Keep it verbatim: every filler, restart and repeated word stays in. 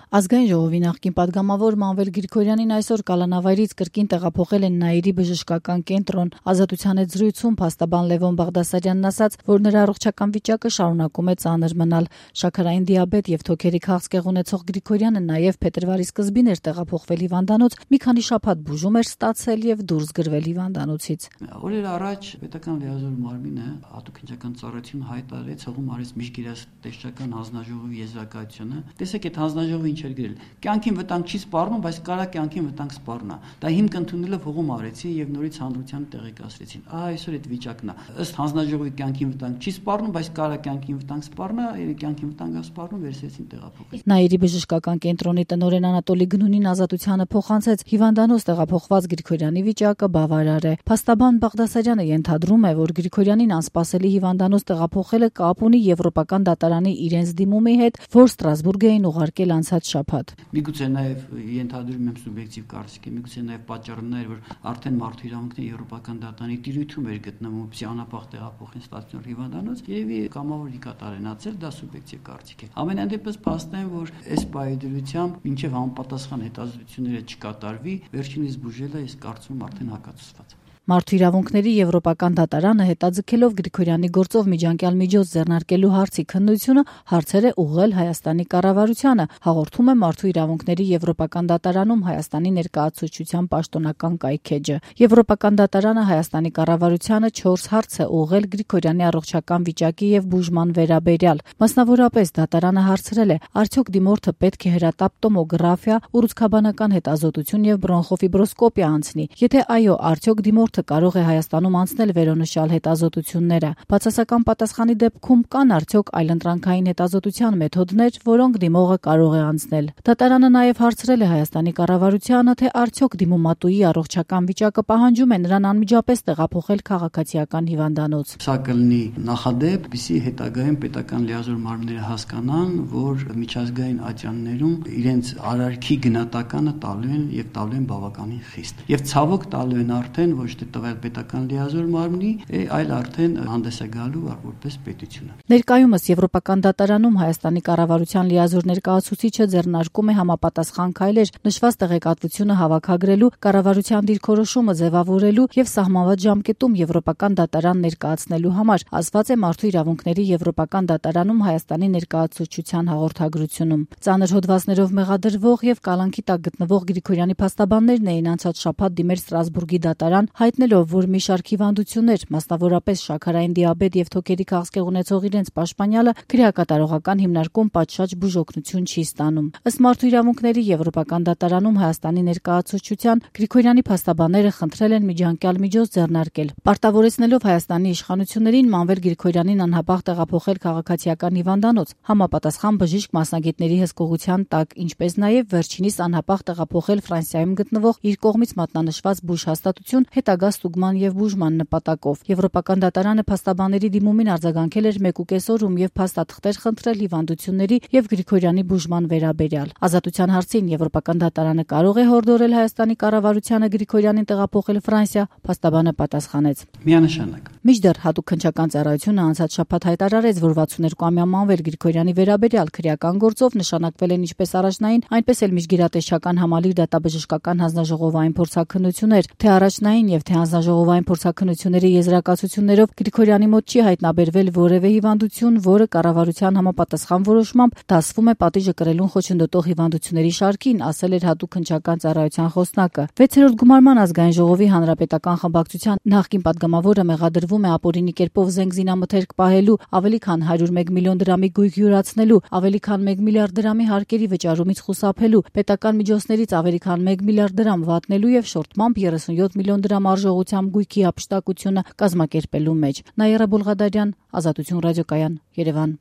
Ազգային ժողովի նախկին պատգամավոր Մանվել Գրիգորյանին այսօր կալանավայրից կրկին տեղափոխել են Նաիրի բժշկական կենտրոն։ Ազատության հետ զրույցում փաստաբան Լևոն Բաղդասարյանն ասաց, որ նրա առողջական վիճակը շարունակում է ծանր մնալ։ Շաքարային դիաբետ եւ թոքերի քաղցկեղ ունեցող Գրիգորյանը նաեւ փետրվարի սկզբին էր տեղափոխվել հիվանդանոց, մի քանի շաբաթ բուժում էր ստացել եւ դուրս գրվել հիվանդանոցից։ Օրեր առաջ պետական լիազոր մարմինը հատուկ ինձական ծառայություն հայտարարեց հողում արեց միջգերատեսչական հանձնաժողովի եզրակացությունը։ Տեսեք, այդ հանձնաժողովը ինչ էր գրել. կյանքին վտանգ չի սպառնում, բայց կարա կյանքին վտանգ սպառնա։ Դա հիմք ընդունելով հողում արեցին եւ նորից հանրության տեղեկացրեցին։ Ահա այսօր այդ վիճակն է։ Ըստ հանձնաժողովի կյանքին վտանգ չի սպառնում, բայց կարա կյանքին վտանգ սպառնա, կյանքին վտանգ սպառնում վերցրեցին տեղափոխել։ Նաիրի բժշկական կենտրոնի տնօրեն Անատոլի Գնունին Ազատությանը փոխանցեց հիվանդանոց տեղափոխված Գրիգորյանի վիճակը բավարար է։ Փաստաբան Բաղդասարյանը ենթադրում է, որ Գրիգորյանին անսպասելի հիվանդանոց տեղափոխելը կապ ունի Եվրոպական դատարանի իրենց դիմումի հետ, որ Ստրասբուրգ էին ուղարկել անցած շաբաթ։ Միգուցե նաև ենթադրում եմ սուբյեկտիվ կարծիք է, միգուցե նաև պատճառը նա էր, որ արդեն մարդու իրավունքների Եվրոպական դատարանի տիրույթում էր գտնվում, որպեսզի անապահ տեղափոխեն ստացիոնար հիվանդանոց, երևի կամավոր ի կատարենացել, դա սուբյեկտիվ կարծիք է։ Ամենայն դեպս փաստային, որ այս պայմանությամբ մինչև համապատասխան հետազոտությունները չկատարվի, վերջինիս բուժելը ես կարծում եմ արդեն հակացված։ Մարդու իրավունքների Եվրոպական դատարանը հետաձգելով Գրիգորյանի գործով միջանկյալ միջոց ձեռնարկելու հարցի քննությունը հարցեր է ուղղել Հայաստանի կառավարությանը, հաղորդում է Մարդու իրավունքների Եվրոպական դատարանում Հայաստանի ներկայացուցչության պաշտոնական կայքէջը։ Եվրոպական դատարանը Հայաստանի կառավարությանը չորս հարց է ուղղել Գրիգորյանի առողջական վիճակի եւ բուժման վերաբերյալ։ Մասնավորապես դատարանը հարցրել է. արդյոք դիմորդը պետք է հրատապ տոմոգրաֆիա, ուռուցքաբանական հետազոտություն եւ բրոնխոֆիբրոսկոպիա անցնի։ Եթե այո, արդյոք դիմորդը կարող է Հայաստանում անցնել վերոնշյալ հետազոտությունները։ Բացասական պատասխանի դեպքում կան արդյոք այլընտրանքային հետազոտության մեթոդներ, որոնք դիմողը կարող է անցնել։ Դատարանը նաև հարցրել է Հայաստանի կառավարությանը, թե արդյոք դիմումատուի առողջական վիճակը պահանջում է նրան անմիջապես տեղափոխել քաղաքացիական հիվանդանոց։ Սա կլինի նախադեպ, որպեսզի հետագայում պետական լիազոր մարմինները հասկանան, որ միջազգային ատյաններում իրենց արարքի գնահատականը տալու են եւ տալու են բավականին խիստ։ Եվ ցավոք տալու են արդեն ոչ թե տվյալ պետական լիազոր մարմնի, այլ արդեն հանդես է գալու որպես պետությունը։ Ներկայումս Եվրոպական դատարանում Հայաստանի կառավարության լիազոր ներկայացուցիչը ձեռնարկում է համապատասխան քայլեր նշված տեղեկատվությունը հավաքագրելու, կառավարության դիրքորոշումը ձևավորելու եւ սահմանված ժամկետում Եվրոպական դատարան ներկայացնելու համար, ասված է Մարդու իրավունքների Եվրոպական դատարանում Հայաստանի ներկայացուցչության հաղորդագրությունում։ Ծանր հոդվածներով մեղադրվող եւ կալանքի տակ գտնվող Գրիգորյանի փաստաբաններն էին անցած շաբաթ դիմել Ստրասբուրգի դատարան, հայտնելով, որ մի շարք հիվանդություններ, մասնավորապես շաքարային դիաբետ եւ թոքերի քաղցկեղ ունեցող իրենց պաշտպանյալը քրեակատարողական հիմնարկում պատշաճ բուժօգնություն չի ստանում։ Ըստ Մարդու իրավունքների Եվրոպական դատարանում Հայաստանի ներկայացուցչության Գրիգորյանի փաստաբանները խնդրել են միջանկյալ միջոց ձեռնարկել, պարտավորեցնելով Հայաստանի իշխանություններին Մանվել Գրիգորյանին անհապաղ տեղափոխել քաղաքացիական հիվանդանոց, համապատասխան բժիշկ մասնագետների հսկողության տակ, ինչպես նաեւ վերջինիս անհապաղ տեղափոխել Ֆրանսիայում գտնվող իր կողմից մատնանշված բուժհաստատություն հետագա ստուգման եւ բուժման նպատակով։ Եվրոպական դատարանը փաստաբանների դիմումին արձագանքել էր մեկ ու կես օրում եւ փաստաթղթեր խնդրել հիվանդությունների եւ Գրիգորյանի բուժման վերաբերյալ։ Ազատության հարցին Եվրոպական դատարանը կարող է հորդորել Հայաստանի կառավարությանը Գրիգորյանին տեղափոխել Ֆրանսիա, փաստաբանը պատասխանեց. Միանշանակ։ Մինչդեռ հատուկ քննչական ծառայությունը անցած շաբաթ հայտարարեց, որ վաթսունհինգամյա Մանվել Գրիգորյանի վերաբերյալ քրեական գործով նշանակվել են ինչպես առաջնային, այնպես էլ միջգերատեսչական համալիր դատաբժշկական հանձնաժողովային փորձաքննություններ, թե առաջնային եւ թե հանձնաժողովային փորձաքննությունների եզրակացություններով Գրիգորյանի մոտ չի հայտնաբերվել որևէ հիվանդություն, որը կառավարության համապատասխան որոշմամբ դասվում է պատիժը կրելուն խոչընդոտող հիվանդությունների շարքին, ասել էր հատուկ քննչական ծառայության խոսնակը։ վեցերորդ գումարման ազգային ժողովի հանրապետական խմբակցության նախկին պատգամավորը մեղադրվում է ապօրինի կերպով զենք զինամթերք պահելու, ավելի քան հարյուր մեկ միլիոն դրամի գույք յուրացնելու, ավելի քան մեկ միլիարդ դրամի հարկերի վճարումից խուսափելու, պետական միջոցներից ավելի քան մեկ միլիարդ դրամ վատնելու եւ շորտմամբ երեսունյոթ միլիոն դրամ արժողությամբ գույքի հափշտակությունը կազմակերպելու մեջ։ Նաիրա Բոլղադարյան, Ազատություն ռադիոկայան, Երևան։